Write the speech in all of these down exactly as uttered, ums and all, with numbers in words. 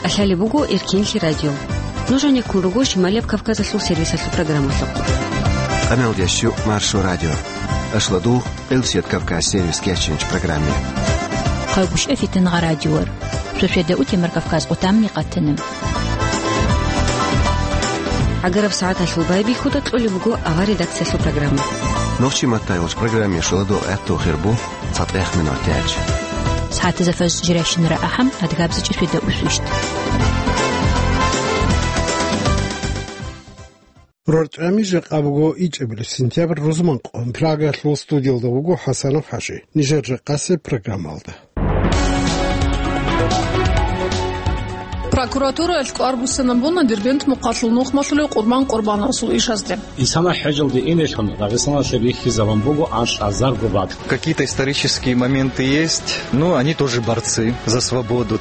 Лъалеб буго Эркинлъи радио. Нуж гьанеккун руго Шималияб Кавказалъул сервисалъул программалъухъ. Къамелдящу Маршо радио. Ашладугъ Къилсият Кавказ сервис кеченч программе. Хъайгъушев Фитингъа радиор. Шошеда утемар Кавказ къутамни къатана. ГӀагараб сагӀаталъул байбихьуда кьолеб буго авар редакциялъул программа. Нохчи маттайолч программе шуладо гӀатту хирбу. ЦатӀехъ минутач. СагӀатазда фажр жирайщинара ахӀам, адгабзичӀи шведа усвищт. РорчӀами жакъа буго ичӀабилеб сентябрь рузманкъо. Прагалъул студиялда вуго ХӀасанов ХӀажи. Нижер жакъасеб программалда. Прокуратураялъ кӀвар буссинабуна Дербент мухъалъул нухмалъулев Къурбан Къурбановасул ишазде. Исана хӀежалде инелъун Дагъистаналъе бихьизабун буго анлъазарго бакӀ. Какие-то исторические моменты есть, но они тоже борцы за свободу.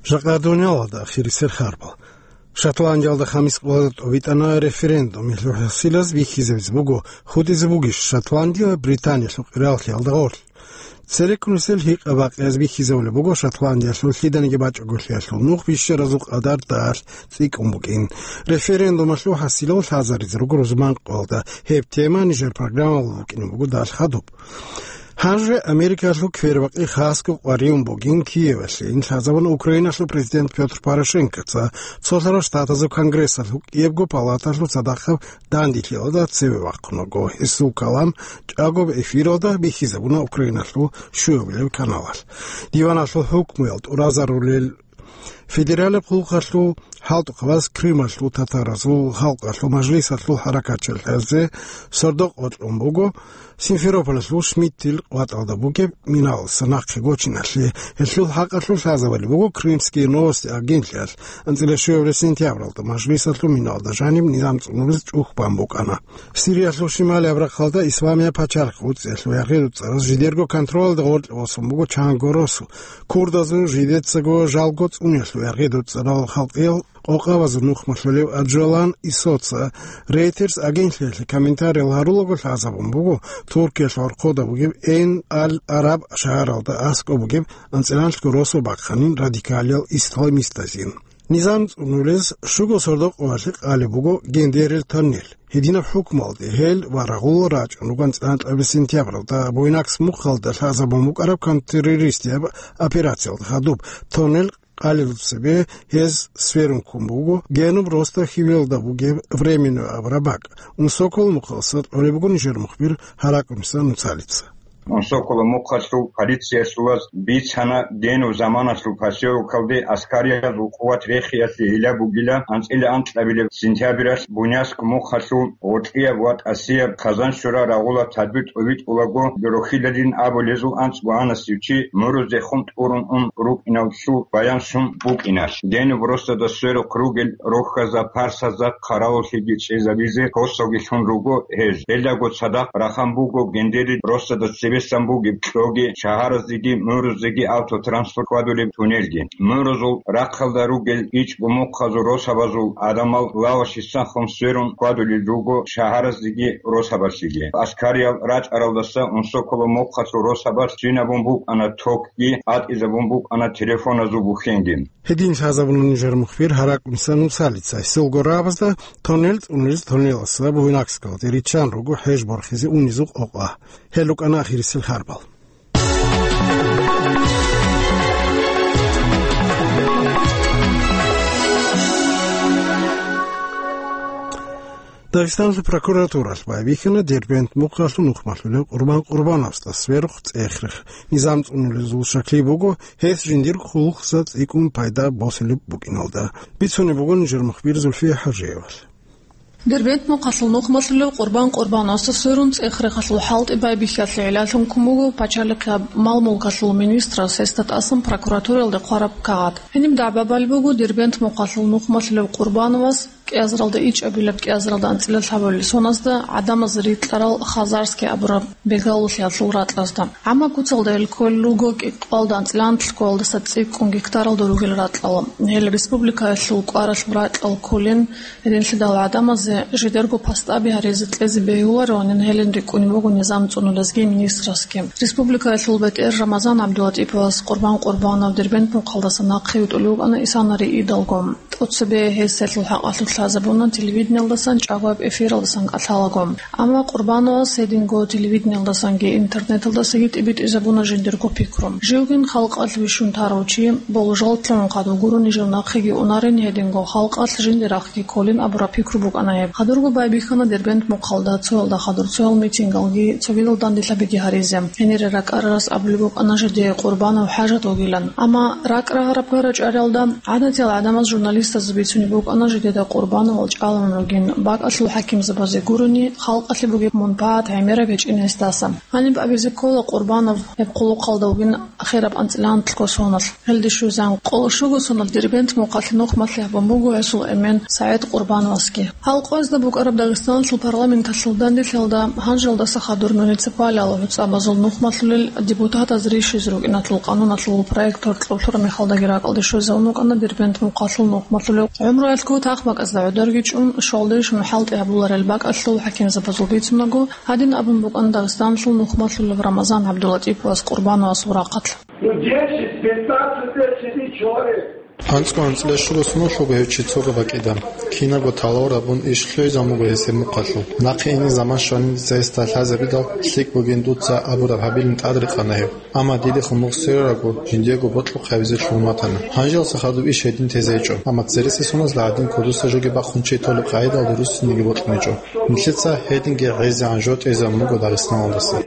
Жакъа дуниялалда ахирисел харбал. Шотландиялда хамис къоялда тӀобитӀана референдум. Гьелъул хӀасилаз бихьизабизе буго, хутӀизе бугищ Шотландия Британиялъул къираллъиялда гъорлъ. Цереккунисел гьикъа-бакъиялъ бихьизабулеб буго Шотландиялъул лъиданиги бачӀаголъиялъул нух бищаразул къадар далъ цӀикӀкӀун букӀин. Референдумалъул хӀасилал лъазаризе руго рузманкъоялда. Гьеб тема нижер программалда букӀине буго далъ хадуб. Гьанже Америкалъул квербакъи хасго къваригӀун бугин Киевалъе. Ин лъазабуна Украиналъул президент Пётр Порошенкоца. Цолъарал Штатазул Конгрессалъул кӀиябго палаталъул цадахъаб данделъиялда цеве вахъун вуго. Гьесул калам чӀагоб эфиралда бихьизабуна Украиналъул щуабилеб каналалъ. Диваналъул хӀукмуял тӀуразарулел федералаб хъулухъалъул хӀалтӀухъабаз Крымалъул татаразул халкъалъул мажлисалъул хӀаракатчиял хӀезе сордо-къо кьун буго Симферополалъул Шмидтил къватӀалда бугеб миналдаса нахъе гочиналъе. Гьелъул хӀакъалъулъ лъазабали буго Крымские новости агентлъиялъ. АнцӀила щуабилеб сентябралда мажлисалъул миналда жаниб низам цӀунулез чӀухь бан букӀана. Сириялъул шималияб рахъалда Исламияб пачалихъ вуцӀиялъул яргъи-дуцӀараз жидерго контролалда гъоркье босун буго чанго росу. Курдазул жидецаго жалго цӀуниялъул яргъи-дуцӀарал халкъиял къокъабазул нухмалъулев Аджолан Исоца Рейтерс агентлъиялъе комментариял гьарулаго лъазабун буго Туркиялъ гӀорхъода бугеб Эйн-аль-Араб шагьаралда аскӀоб бугеб анцӀиланлъго росу бахъанин радикалиял исламистазин. Низам цӀунулез щуго сордо-къоялъе къалеб буго Гендерил тоннель. Гьединаб хӀукмуялде гьел ва рагъулал рачӀун руго анцӀила анкьабилеб сентябралда Буйнакск мухъалда лъазабун букӀараб контртеррористияб операциялда хадуб. Тоннель къалелъул цебе гьез сверун ккун буго Генуб Ростов хьивилалда бугеб Временное абураб бакӀ. Унсоколо мухъалъуса кьолеб буго нижер мухбир Гьаракъуниса Нуцалица. Унсоколо мухъалъул полициясулаз бицана Генуб заманалъул поселокалде аскариязул къуват рехиялъе гьелаб бугила анцӀила анкьабилеб сентябралъ Буйнакск мухъалъул гъоркьияб ва тӀасияб Хъазаншура рагъула тадбир тӀобитӀулаго Дурухилалин абулезул анцӀго анасев чи мурузехун тӀурун ун рукӀиналъул баян щун букӀиналъ. Генуб Ростовда сверухъ ругел рохьазда, парсазда хъаравуллъиги чӀезабизе косоги лъун руго гьез. Гьелдаго цадахъ рахан буго Гендерил Ростовда цебесан бугеб кьоги, шагьаразеги мурузеги автотранспорт хьвадулеб туннелги. Мурузул рахъалда ругел ичӀго мухъазул росабазул гӀадамал лавашисан хун сверун хьвадулел руго шагьаразеги росабазеги. Аскариял рачӀаралдаса Унсоколо мухъалъул росабаз щинабун букӀана токги, атӀизабун букӀана телефоназул бухьенги. Гьедин лъазабуна нижер мухбир Гьаракъуниса Нуцалица. Гьесул гурабазда тоннел цӀунулез тоннелалъа Буйнакскалде риччан руго хӀеж борхизе унезул къокъа. Гьел рукӀана ахирисел харбал. Дагъистаналъул прокуратуралъ байбихьана Дербент мухъалъул нухмалъулев Къурбан Къурбановасда сверухъ цӀех-рех. Низам цӀунулезул щаклъи буго гьес жиндир хъулухъ цӀикӀкӀун пайда босулеб букӀиналда. Бицунеб буго нижер мухбир Зульфия ХӀажиевалъ. Дербент мухъалъул нухмалъулев Къурбан Къурбановасда сверун цӀех-рехалъул хӀалтӀи байбихьиялъе гӀилалъун ккун буго пачалихъияб мал-мулкалъул министрас гьесда тӀасан прокуратураялде хъвараб кагъат. Гьениб дагӀба балеб буго Дербент мухъалъул нухмалъулев Къурбановас кӀиазаралда ичӀабилеб, кӀиазаралда анцӀила лъабабилеб соназда гӀадамаз рикьарал хазарский абураб бегалулъиялъул ракьазда. Амма куцалда ил кколел руго кӀикъоялда анцӀила анлъго кӀикъоялдаса цӀикӀкӀун гектаралда ругел ракьал. Гьел республикаялъул кӀваралъул ракьал кколин, гьединлъидал гӀадамазе жидерго пастаби гьаризе кьезе бегьулароанин гьелин рикӀкӀунеб буго низам цӀунулезги министрасги. Республикаялъул бетӀер Рамазан ГӀабдулатӀиповас Къурбан Къурбанов Дербент мухъалдаса нахъе витӀулев вукӀана исанари идалго. ТӀоцебе гьесиялъул хӀакъалъулъ лъазабуна телевидениялдасан чӀагояб эфиралдасан кӀалъалаго. Амма Къурбановас гьединго телевидениялдасанги интернеталдасаги тӀибитӀизабуна жиндирго пикру. Живгин халкъалъ вищун тарав чи, болжал лъун хадур гурони жив нахъеги унарин, гьединго халкъалъ жиндир рахъги кколин абураб пикру букӀана гьеб. Хадурго байбихьана Дербент мухъалда цоялда хадур цоял митингалги цогидал данделъабиги гьаризе. Гьенире ракӀарарас абулеб букӀана жидее Къурбанов хӀажат вугилан. Амма ракӀ рагьараб гьарачӀариялда гӀадатиял гӀадамаз журналистазда бицунеб букӀана жидеда Къурбановал чӀаларун ругин, бакӀалъул хӀакимзабазе гурони, халкъалъе бугеб мунпагӀат гӀемераб гьечӀин гьесдаса. Гьаниб абизе ккола Къурбанов гьеб хъулухъалда вугин хераб анцӀила анлъго соналъ. Гьелде щвезан, къоло щуго соналъ Дербент мухъалъе нухмалъи гьабун буго гьесул эмен СагӀид Къурбановасги. Гьал къоязда букӀараб Дагъистаналъул парламенталъул данделъиялда гьанжалдаса хадур муниципалиялъул гӀуцӀабазул нухмалъулел депутатаз рищизе рукӀиналъул къануналъул проект гьоркьоб лъураб мехалдаги ракӀалде щвезавун вукӀана Дербент мухъалъул нухмалъулев гӀумруялъго тахмакӀазда гӀодорги чӀун, щвалдеш мухӀалтӀи гьабуларел бакӀалъул хӀакимзабазул бицунаго, гьадин абун букӀана Дагъистаналъул нухмалъулев Рамазан ГӀабдулатӀиповас Къурбановасул рахъалъ. Ну, десять, пятнадцать лет сидит человек. АнцӀго-анцӀила щуго соналъ вуго гьев чи цого бакӀида. Кинабго талавураб бун иш лъугӀизабун буго гьесие мухъалъул. Нахъе ине заман щванин дица гьесда лъазабидал, лъикӀ бугин дуца абураб гьабилин тӀадрекъана гьев. Амма дидехун мугъ сверарабго, жиндиего бокьухъ гьабизе лъугьун ватана. Гьанжалса хадуб иш гьедин тезе гьечӀо. Амма цересел соналъ гӀадин кодоса жоги бахъун чи толеб къагӀидалда руссиниги бокьун гьечӀо. Нилъеца гьединги гӀезегӀан жо тӀезабун буго Дагъистаналдаса.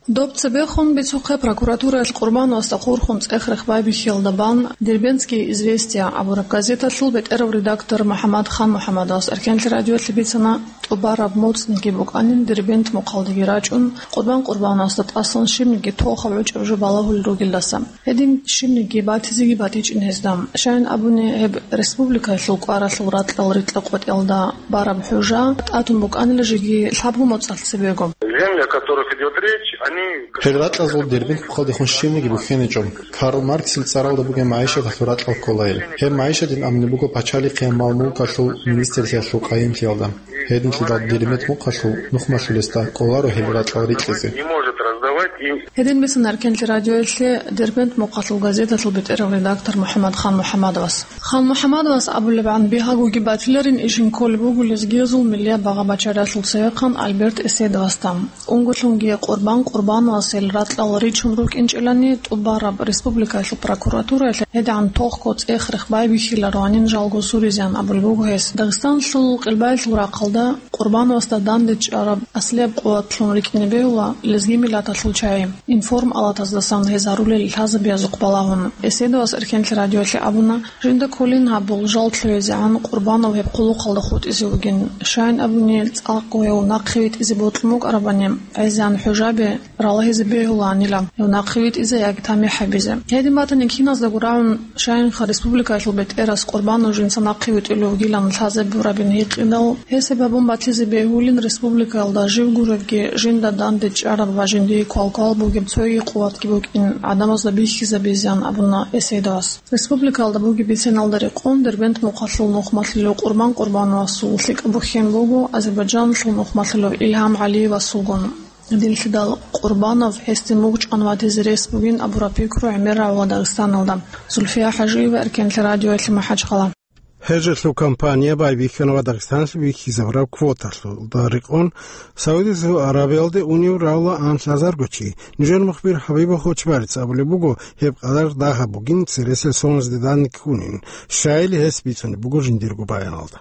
Доб цебехун бицухъе прокуратураялъ Къурбановасда хурхун цӀех-рех байбихьиялда бан Дербентские известия абураб газеталъул бетӀерав редактор МухӀаммад Хан-МухӀаммадовас Эркенлъи радиоялъе бицана, тӀубараб моцӀниги букӀанин Дербент мухъалдеги рачӀун, Къурбан Къурбановасда тӀасан щибниги тохаб гӀучӀаб жо балагьулел ругелдаса. Гьедин щибниги батизеги батичӀин гьезда. Щайин абуни, гьеб республикаялъул кӀваралъул ракьал рикьа-къватӀиялда бараб хӀужа тӀатун букӀанила жеги лъабго моцӀалъ цебего. Земли, о которых идёт речь, они... Гьел ракьазул Дербент мухъалдехун щибниги бухьиничӀо. Карл Марксил цӀаралда бугеб магӀишаталъул ракьал ккола гьел. Гьеб магӀишатин абулеб буго пачалихъе мал-мулкалъул министрлъиялъул къайимлъиялда. Гьединлъидал Дербент мухъалъул нухмалъулесда кӀоларо гьел ракьал рикьизе. Не может раздавать им. Гьедин бицана Эркенлъи радиоялъе Дербент мухъалъул газеталъул бетӀерав редактор МухӀаммад Хан-МухӀаммадовас. Хан-МухӀаммадовас абулебгӀан, бигьагоги батиларин ишин кколеб буго лезгиязул миллият багъа-бачаралъул цевехъан Альберт Эседовасда. Унго-лъунги Къурбан Къурбановас гьел ракьал ричун рукӀинчӀелани, тӀубараб республикаялъул прокуратураялъ гьедигӀан тохго цӀех-рех байбихьилароанин жалго суризеан абулеб буго гьес. Дагъистаналъул къилбаялъул рахъалда Къурбановасда данде чӀараб аслияб къуват лъун рикӀкӀине бегьула лезги миллаталъул чагӀи. Информ-алатаздасан гьез гьарулел лъазабиязухъ балагьун, Эседовас Эркенлъи радиоялъе абуна, жинда кколин гьаб болжал лъугӀизегӀан Къурбанов гьеб хъулухъалда хутӀизе вугин. Щайин абуни, цӀакъго гьев нахъе витӀизе бокьун букӀарабани, гӀезегӀан хӀужаби ралагьизе бегьулаанила гьев нахъе витӀизе яги тамихӀ гьабизе. Гьедин батани, киназдаго рагӀун, щайинха республикаялъул бетӀерас Къурбанов жинца нахъе витӀулев вугилан лъазабурабин гьикъидал, гьесие гьабун батизе бегьулин республикаялда жив гуребги, жинда данде чӀараб ва жиндие квалквал бугеб цоги къуватги букӀин гӀадамазда бихьизабизеан абуна Эседовас. Республикаялда бугеб биценалда рекъон Дербент мухъалъул нухмалъулев Къурбан Къурбановасул лъикӀаб бухьен буго Азербайджаналъул нухмалъулев Илгьам ГӀалиевасулгун. Гьединлъидал Къурбанов гьесде мугъ чӀван ватизе рес бугин абураб пикру гӀемер рагӀула Дагъистаналда. Зульфия ХӀажиева, Эркенлъи радиоялъе, МахӀачхъала. Гьел жоялъул кампания байбихьана ва Дагъистаналъе бихьизабураб квоталъулда рекъон Саудиялъул Аравиялде унев рагӀула анлъазарго чи. Нужер мухбир ХӀабиб Хочбарец абулеб буго, гьеб къадар дагьаб бугин цересел соназде данде ккунин, щайили гьес бицунеб буго жиндирго баяналда.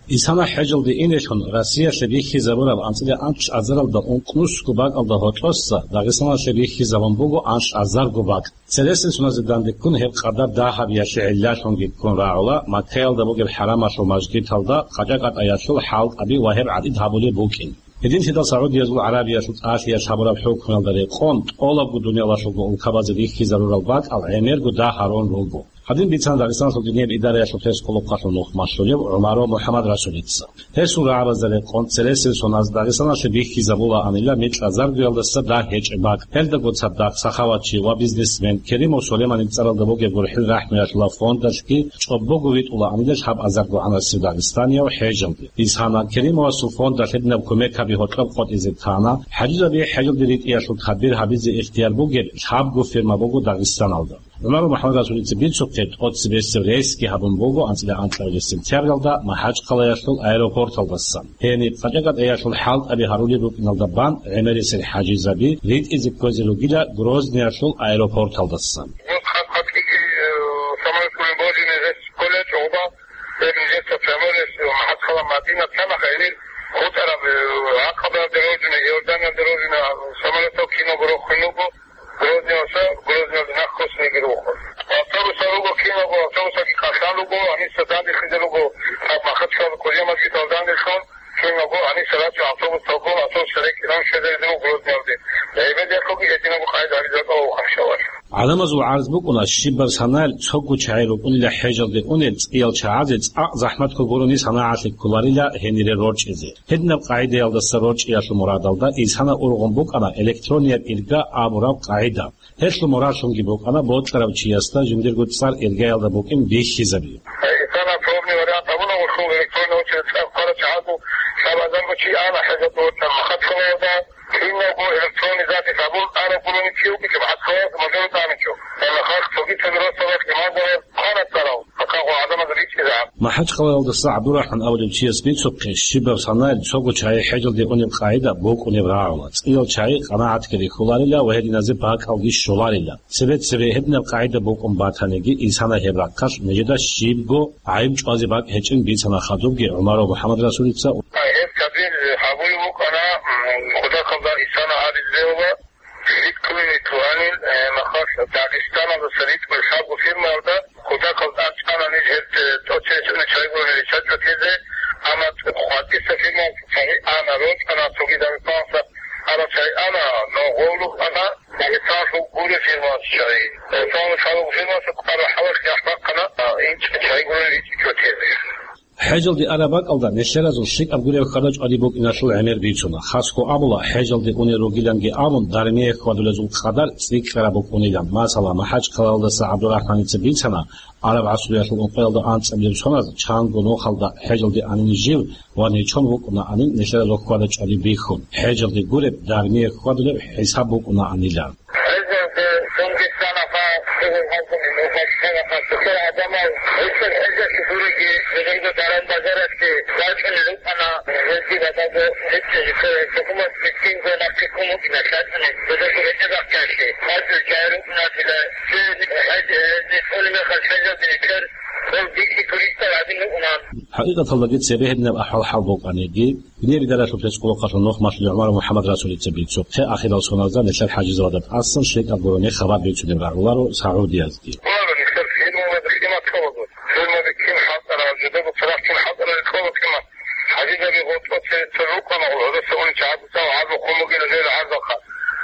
Исана хӀежалде инелъун Россиялъе бихьизабураб анцӀила анлъазаралда ункънусго бакӀалда гьоркьоса Дагъистаналъе бихьизабун буго анлъазарго бакӀ. Цересел соназде данде ккун гьеб къадар дагьабиялъе гӀиллалъунги ккун рагӀула Маккаялда бугеб хӀарамалъул мажгиталда къача-къатӀаялъул хӀалтӀаби ва гьеб гӀадид гьабулеб букӀин. Гьединлъидал Саудиязул Аравиялъул тӀалъиялъ гьабураб хӀукмуялда рекъон тӀолабго дуниялалъулго улкабазе бихьизарурал бакӀал гӀемерго дагь гьарун руго. Гьадин бицана Дагъистаналъул динияб идараялъул пресс-къулухъалъул нухмалъулев ГӀумаров МухӀаммад Расулица. Гьесул рагӀабазда рекъон цересел соналъ Дагъистаналъе бихьизабулаанила микьа заргуялдаса дагь гьечӀеб бакӀ. Гьелдаго цадахъ сахаватчи ва бизнесмен Керимов Сулейманил цӀаралда бугеб гурхӀел рахӀмуялъула фондалъги чӀобого витӀулаанила лъабазарго гӀанасев дагъистанияв ХӀежалде. Исана Керимовасул фондалъ гьединаб кумекаби гьоркьоб къотӀизе тана, хӀажизаби хӀежалде ритӀиялъул тадбир гьабизе ихтияр бугеб лъабго фирма буго Дагъистаналда. ГӀумаров МухӀаммад Расулица бицухъе, тӀоцебесеб рейсги гьабун буго анцӀила анкьабилеб сентябралда МахӀачхъалаялъул аэропорталдасан. Гьениб къачӀа-къатӀаялъул хӀалтӀаби гьарулел рукӀиналда бан гӀемерисел хӀажизаби ритӀизе кквезе ругила Грозныялъул аэропорталдасан. Вот как, как и, э, самолёт Кулибожин здесь кулечь оба, э, где-то прямой рейс, э, МахӀачхъала Мадина, цамаха гьенир хутӀараб, э, Акъаба дорожина, Иордания дорожина, самолётал кино гурохъун буго. Грозниялъа, Грозниялда нахъ хъосине гирухъун. Автобусал руго, киналго автобусалги кӀалъан руго, гьаниса данделъизе руго, гьаб Махачкала кӀудиямалги далдандилъун, киналго гьаниса рачӀун автобусалго, автобус рекӀинан щвезаризе руго Грозниялде. ГӀемералъулги гьединабго къайда гьабизе бакӀаларо хъаншалъ. ГӀадамазул гӀарз букӀуна, щибаб санаялъ цого чагӀи рукӀунила хӀежалде унел цӀиял чагӀазе цӀакъ захӀматго гурони санагӀалъи кколарила гьенире рорчӀизе. Гьединаб къагӀидаялдаса рорчӀиялъул мурадалда исана ургъун букӀана электронияб ирга абураб къагӀида. Гьелъул мурадлъунги букӀана бокьарав чиясда жиндирго цӀар иргаялда букӀин бихьизаби. Исана пробный вариант абуна, гъулъул электронный очередь цӀар ккарачагӀазул лъабазарго чи ана хӀежалде вачӀана Махачкалаялда. Киналго электронный запись абун араб гурони чи вукӀинчӀо Махачкалаялда мажару тӀамичӀо. Гьанна халкъ цогидазда росабалъ иман гьабе хъвана цӀарал, гьакъа гъо гӀадамазда ричӀчӀизегӀан. МахӀачкъалаялдаса ГӀабдурахӀман абулев чияс бицухъе, щибаб санаялъ цого чагӀи хӀежалде унеб къагӀида букӀунеб рагӀула, цӀиял чагӀи къанагӀатги рихьуларила ва гьединазе бакӀалги щоларила. Цебе-цебе гьединаб къагӀида букӀун батаниги, исана гьеб рахъалъ нижеда щибго гӀайиб чӀвазе бакӀ гьечӀин бицана хадубги ГӀумаров МухӀаммад Расулица. Гьеб кабир гьабулеб букӀана, м, кутакалда исана гьаризе ва ритӀкӀунин туанин, э, махалъ Дагъистаналдаса ритӀкӀун лъабго фирмаялда кутакалда чӀана ниж гьеб, э, тӀоцебесеб чагӀи гурони риччачӀого тезе, амма хъватӀиса фирмаялъ чагӀи ана, рочӀана, цоги Дагъистаналъа араб чагӀи ана, но гъолухъ ана. Дагъистаналъул гуреб фирмаялъ чагӀи. Дагъистаналъул лъабабго фирмаялъ кӀвар рахӀалалъ яхӀ бахъана, а, инчӀ чагӀи гурони ричӀичӀого тезе. ХӀежалде араб бакӀалда нилъеразул лъикӀаб гуреб хьвада-чӀвади букӀиналъул гӀемер бицуна. Хасго абула, хӀежалде унел ругиланги абун, дармие хьвадулезул къадар цӀикӀкӀараб букӀунилан. Масала, МахӀачкъалаялдаса ГӀабдурахӀманица бицана, араб гӀасруялъул ункъоялда анцӀабилеб соназ чанго нухалда хӀежалде анин жив ва нечон вукӀунаанин нилъеда хьвада-чӀвади бихьун, хӀежалде гуреб, дармие хьвадулеб хӀисаб букӀунаанила. ХӀежалде цоги санаха, цоги гьалкьун, нухалъ санаха, цохол гӀадамал гьесул хӀежалъе гуриги, жиндирго даран-базаралъе вачӀунел рукӀана, гьезги батӀаго гьечӀо, жиндир хӀукумат мискинго нахъе ккун вукӀина лъачӀунел, жиндирго гьечӀебахъиялъе, хӀажул жай рукӀунатила, цо хӀеж-, гьезде кколеб мехалъ хӀежалде рикӀкӀар, Гьев бихьи туристал гӀадин вугӀун. ХӀакъикъаталдаги цебе гьединаб ахӀвал-хӀал букӀаниги, динияб идаралъул пресс-къулухъалъул нухмалъулев ГӀумаров МухӀаммад Расулица бицухъе, ахирал соналда нилъер хӀажизабазда тӀасан лъикӀаб гурони хабар бицунеб рагӀуларо Саудиязги. Гьале нилъер фирмаби къимат кколаго. Фирмаби кин хӀалтӀарал, жидерго царахъ кин хӀалтӀарал ккола къимат. ХӀажизаби гъоркьоце цо рукӀана гъолдаса унчи гьаб-, гьаб-, гьабухъун бугила жер гӀарзаха.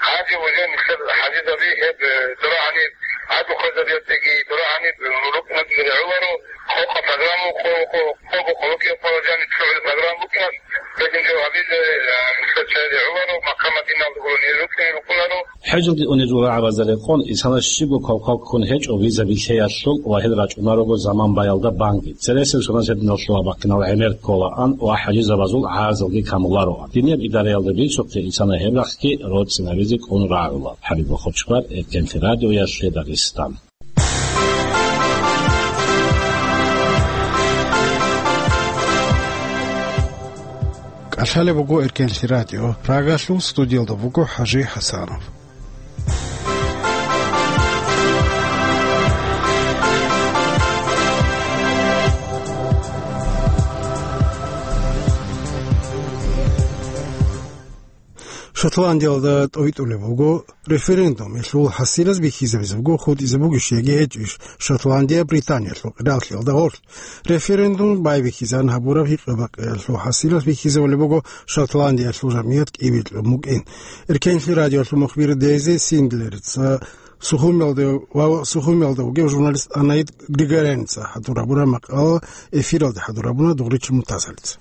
Гьанже уже нилъер хӀажизаби гьеб, э, дурагьани гӀадлу хвезабиятеги, дурагьани рукӀинатеги гӀоларо, къокъа программа, къо-, къо-, къого къолокъияб къварагӀани цогӀил программа букӀиналъ, гьедин жо гьабизе, э, нилъер чагӀи гӀоларо, Макка-Мадиналда гурони рукӀине рукӀунаро. ХӀежалде унезул рагӀабазда рекъон, исана щибго квалквал ккун гьечӀо виза билъеялъул ва гьел рачӀунарого заман баялда банги. Цересел соназ гьединал лъугьа-бахъинал гӀемер кколаан ва хӀажизабазул гӀарзалги камулароан. Динияб идараялда бицухъе, исана гьеб рахъги роцӀцӀинабизе кӀун рагӀула. ХӀабиб Бахъурчхъвар, Эркенлъи радиоялъе Дагъистан. КӀалъалеб буго Эркенлъи радио. Прагалъул студиялда буго ХӀажи ХӀасанов. Шотландиялда тӀовитӀулеб буго референдум. Гьелъул хӀасилаз бихьизабизе буго хутӀизе бугищ яги гьечӀищ Шотландия Британиялъул къиралъиялда гъорлъ. Референдум байбихьизан гьабураб гьикъа-бакъиялъул хӀасилаз бихьизабулеб буго Шотландиялъул жамгӀият кӀибилъун букӀин. Эркенлъи радиоялъул мухбир Дейзи Синглерица Сухумиялда ва Сухумиялда вугев журналист Анаид Григоряница хӀадур гьабураб макъала эфиралде хӀадур гьабуна Дугъричил Муртазалица.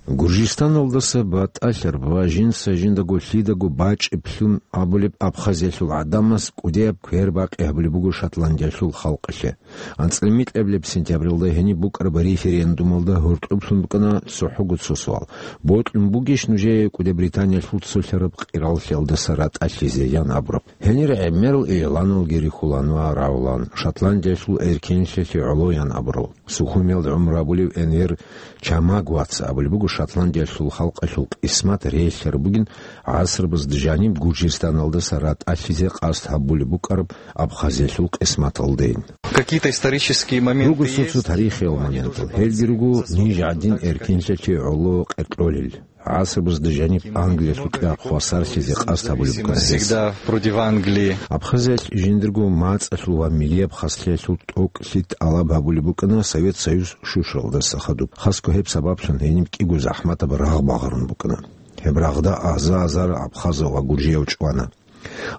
Гуржистаналдаса батӀалъараб ва жинца жиндаго лъидаго бачӀиблъун абулеб Абхазиялъул гӀадамаз кӀудияб квербакъи гьабулеб буго Шотландиялъул халкъалъе. АнцӀила микьабилеб сентябралда гьениб букӀараб референдумалда гьоркьоблъун букӀана цохӀого цо суал: «Бокьун бугищ нужее КӀуди Британиялъул цолъараб къираллъиялдаса ратӀалъизе?» – ян абураб. Гьенир гӀемерал игӀланалги рихьулан ва рагӀулан, Шотландиялъул эркенлъиялъе гӀоло ян абурал. Сухумиялда гӀумру гьабулев Энвер Чамагваца абулеб буго Шотландиялъул халкъалъул къисмат релълъараб бугин гӀасрабазда жаниб Гуржистаналдаса ратӀалъизе къасд гьабулеб букӀараб Абхазиялъул къисматалдейин. Какие-то исторические моменты Руго цо-цо есть, тарихиял моментал. Гьелги руго ниж гӀадин эркенлъиялъе гӀоло къеркьолел. ГӀасрабазда жаниб Англиялъул кьа хвасарлъизе къасд гьабулеб букӀана гьес. Всегда против Англии. Абхазиялъ жиндирго мацӀалъул ва милияб хаслъиялъул тӀокӀлъи тӀалаб гьабулеб букӀана Совет Союз щущаралдаса хадуб. Хасго гьеб сабаблъун гьениб кӀиго захӀматаб рагъ багъарун букӀана. Гьеб рагъда аза-азар абхазав ва гуржияв чӀвана.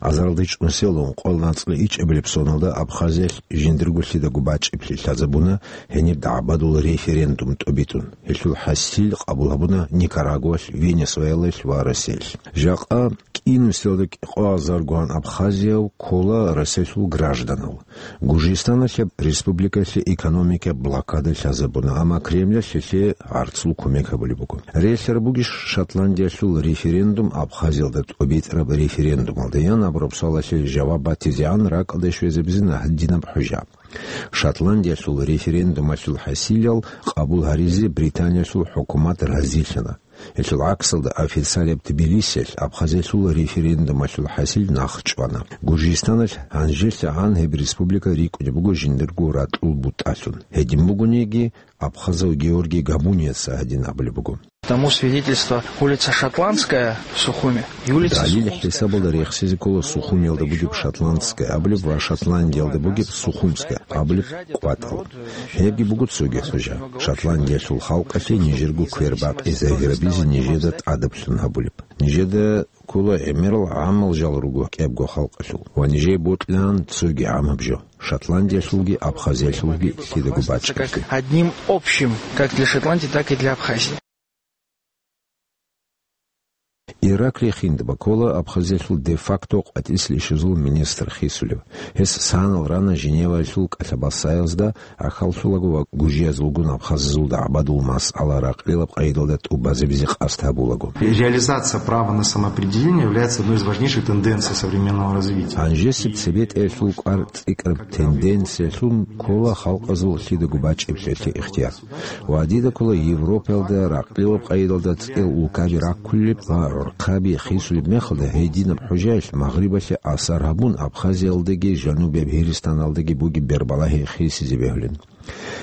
Азарилда чӀунсел ункъоялда анцӀила ичӀабилеб соналда Абхазиялъ жиндирго лъидаго бачӀиблъи лъазабуна гьениб дагӀбадул референдум тӀобитӀун. Гьелъул хӀасил къабул гьабуна Никарагуалъ, Венесуэлалъ ва Россиялъ. Жакъа кӀинусиялда кӀикъоазаргоан абхазияв ккола Россиялъул гражданал. Гуржистаналъ гьеб республикалъе экономикаялъе блокада лъазабуна, амма Кремлалъ гьелъие гӀарцул кумек гьабулеб буго. Релълъараб бугищ Шотландиялъул референдум Абхазиялда тӀобитӀараб референдумалда, ян абураб суалалъе жаваб батизегӀан ракӀалде щвезабизина гьадинаб хӀужа. Шотландиялъул референдумалъул хӀасилал къабул гьаризе Британиялъул хӀукумат разилъана. Гьелъул гӀаксалда официалияб Тбилисиялъ Абхазиялъул референдумалъул хӀасил нахъ чӀвана. Гуржистаналъ гьанжелъагӀан гьеб республика рикӀкӀунеб буго жиндирго ракьул бутӀалъун. Гьедин бугониги, абхазав Георгий Габуниеца гьадин абулеб буго. Тому свидетельство улица Шотландская в Сухуме и улица Далил Сухумская. ХӀисабалда рехсизе ккола Сухумиялда бугеб Шотландская абулеб ва Шотландиялда бугеб Сухумская абулеб кӀватӀал. Гьебги буго цоги хӀужа. Шотландиялъул халкъалъе нижерго квербакъи загьирабизе нижеда тӀадаблъун гьабулеб. Нижеда ккола гӀемерал гӀамал жал руго кӀиябго халкъалъул ва нижее бокьилаан цоги гӀамаб жо, Шотландиялъулги Абхазиялъулги лъидаго бачӀиблъи. Одним общим, как для Шотландии, так и для Абхазии. Ираклий Хиндба ккола Абхазиялъул де-факто къватӀислъищазул министр хисулев. Гьес санал рана Женеваялъул кӀалъабасаязда гӀахьаллъулаго ва гуржиязулгун абхазазул дагӀбадул масъала ракьлилаб къайдалда тӀубазабизе къасд гьабулаго. Реализация права на самоопределение является одной из важнейших тенденций современного развития. Гьанжесеб цебетӀеялъул кӀвар цӀикӀкӀараб тенденциялъун ккола халкъазул лъидаго бачӀиблъиялъе ихтияр. Ва дида ккола Европаялда ракьлилаб къайдалда цӀел улкаби раккулеб ва гӀурхъаби хисулеб мехалда гьединаб хӀужаялъ Магърибалъе асар гьабун, Абхазиялдаги жанубияб Гьиристаналдаги бугеб бербалагьи хисизе бегьулин.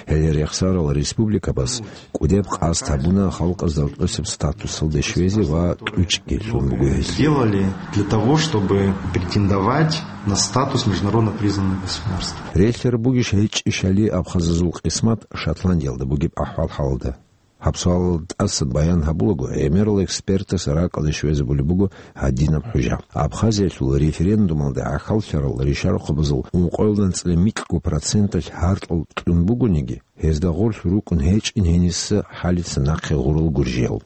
Гьеле рехсарал республикабаз кӀудеб къасд гьабуна халкъазда рокьосеб статусалде щвезе ва тӀучӀги лъун буго гьелъ. Делали для того, чтобы претендовать на статус международно признанного государства. Релълъараб бугищ гьечӀищали абхазазул къисмат Шотландиялда бугеб ахӀвал-хӀалалда? Гьаб суалалда тӀасан баян гьабулаго, гӀемерал экспертас ракӀалде щвезабулеб буго гьадинаб хӀужа. Абхазиялъул референдумалда гӀахьаллъарал ришарахъабазул ункъоялда анцӀила микьго проценталъ гьаркьал кьун бугониги, гьезда гъорлъ рукӀун гьечӀин гьениса хӀалица нахъе гъурал гуржиял.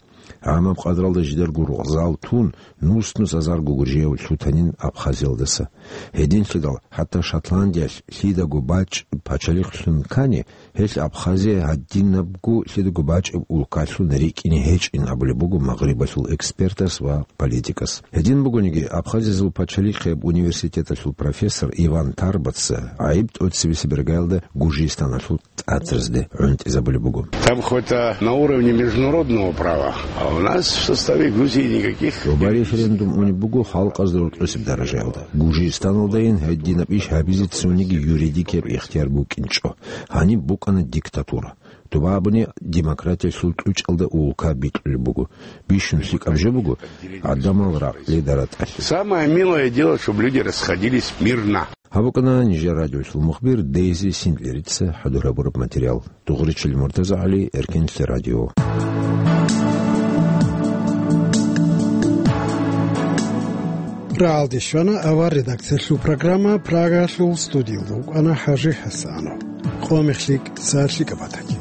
ГӀамаб къадралда жидарго рукъзал тун, нус-нус азарго гуржияв лъутанин Абхазиялдаса. Гьединлъидал хӀатта Шотландиялъ лъидаго бачӀ пачалихълъун ккани, гьелъ Абхазия гьадинабго лъидаго бачӀеб улкалъун рикӀкӀине гьечӀин абулеб буго Магърибалъул экспертас ва политикас. Гьедин бугониги, Абхазиязул пачалихъияб университеталъул профессор Иван Тарбаца гӀайиб тӀоцебесеб иргаялда Гуржистаналъул тӀатразде гӀунтӀизабулеб буго. Там хоть, а, на уровне международного права, а у нас в составе Грузии никаких... Доба референдум унеб буго халкъазда рокьосеб даражаялда. Гуржистаналдайин гьединаб иш гьабизе цониги юридикияб ихтияр букӀинчӀо. Гьаниб букӀана диктатура. Доба абуни демократиялъул тӀучӀалда улка бикьулеб буго. Бищун лъикӀаб жо буго гӀадамал ракьалда ратӀалъи. Самое милое дело, чтобы люди расходились мирно. Гьаб букӀана нижер радиолъул мухбир Дейзи Синдлерица хӀадур гьабураб материал. Дугъричил Муртазагьали, Эркенлъи радио. Рагьалде щвана авар редакциялъул программа, Прагалъул студиялда вукӀана ХӀажи ХӀасанов. Къо мехлъи кӀица лъикӀаб батани.